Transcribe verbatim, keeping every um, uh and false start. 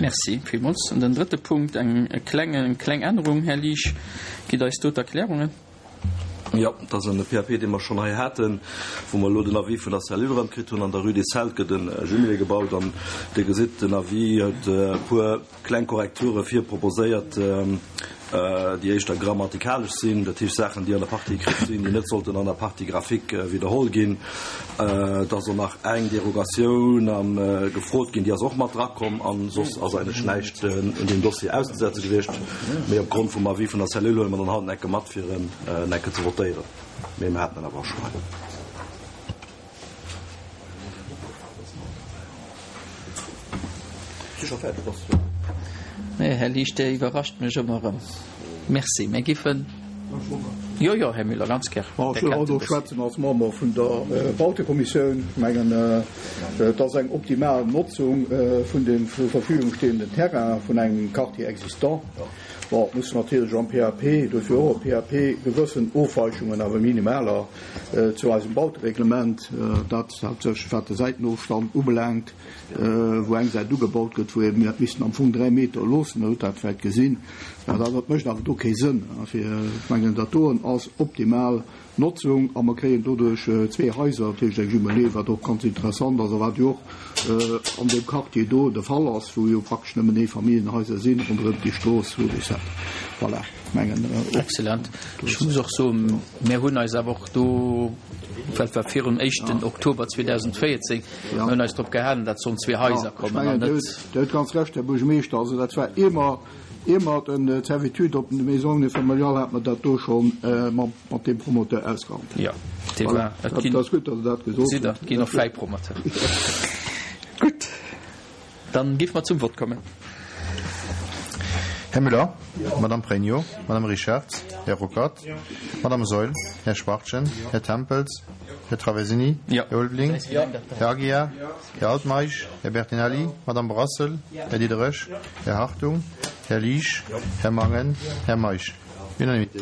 Merci villmools. An den drëtte Punkt, eng kleng, eng kleng Ännerung. Här Liesch, gitt eis do d'Erklärungen. Jo, dat ass en P A P, dee mer schonn hei haten, wou mer elo den Avis vun der Cellule erëm kritt hunn. An der Rue des Celtes gëtt e Jumelé gebaut an Dir gesitt, den Avis huet e puer kleng Korrekture virproposéiert, déi éischter grammatikalesch sinn, dat heescht Saachen, déi an der Partie écrite sinn, déi net sollten an der Partie graphique widderholl ginn. Et ass och nach eng Derogatioun gefrot ginn, déi ass och mat drakomm an soss ass eigentlech näischt un deem Dossier auszesetze gewiescht. Mee opgrond vum Avis vun der Cellule huele mer dann haut en Ecke mat, fir en en Ecke ze votéieren. Mee mer haten en awer och schonn hei. Si scho fäerdeg, ass. Nee, Här Liesch, Dir iwwerrascht mech ëmmer erëm. Merci. Mir giffen. Jo, jo, Här Müller, ganz gär. Bon, ech wëll haut och schwätzen als Member vun der Bautekommissioun. Ech mengen, et ass eng optimal Notzung vun dem zur Verfügung stehenden Terrain vun engem Quartier existant. Bon, et muss natierlech am P A P, dofir och e P A P, gewëssen Ofweichungen, awer minimaler, zu eisem Bautereglement, dat haaptsächlech wat de Säitenofstand ubelaangt, wou eng Säit ugebaut gëtt, wou ee missten am Fong dräi Meter loossen, hutt dat vläicht gesinn. Dat dat mécht awer do kee Sënn. Fir, ech mengen, dat doen ass optimal Notzung a mer kréien doduerch zwee Haiser, dat heescht eng Jumelée, wat och ganz interessant ass a wat jo och an deem Quartier do de Fall ass, wou jo praktesch nëmmen Eefamilljenhaiser sinn ronderëm déi Strooss Rue des Sept. Voilà, ech mengen och. Excellent. Ech muss och soen, mir hunn eis awer och do, well et war virum éischten Oktober zweedausendvéierzéng, mir hunn eis drop gehalen, datt sollen zwee Haiser kommen an net. Dir hutt ganz Recht, Här Buergermeeschter. Also dat war ier ier mer d'Servitude op de Maisons unifamiliales hat mer dat do scho mat deem Promoteur ausgehandelt. Jo, dee war. Et ass gutt, datt Der dat gesot hutt. Et ginn och fräi Promoteuren. Gutt, dann géife mer zum Vott kommen. Här Müller? Madame Pregno? Madame Richard? Här Ruckert? Madame Saeul? Här Schwachtgen? Här Tempels? Här Traversini? Här Ulveling? Här Aguiar? Här Altmeisch? Här Bertinelli? Madame Brassel? Här Diderich? Här Hartung? Här Liesch? Här Mangen? Här Meisch? Unanimité.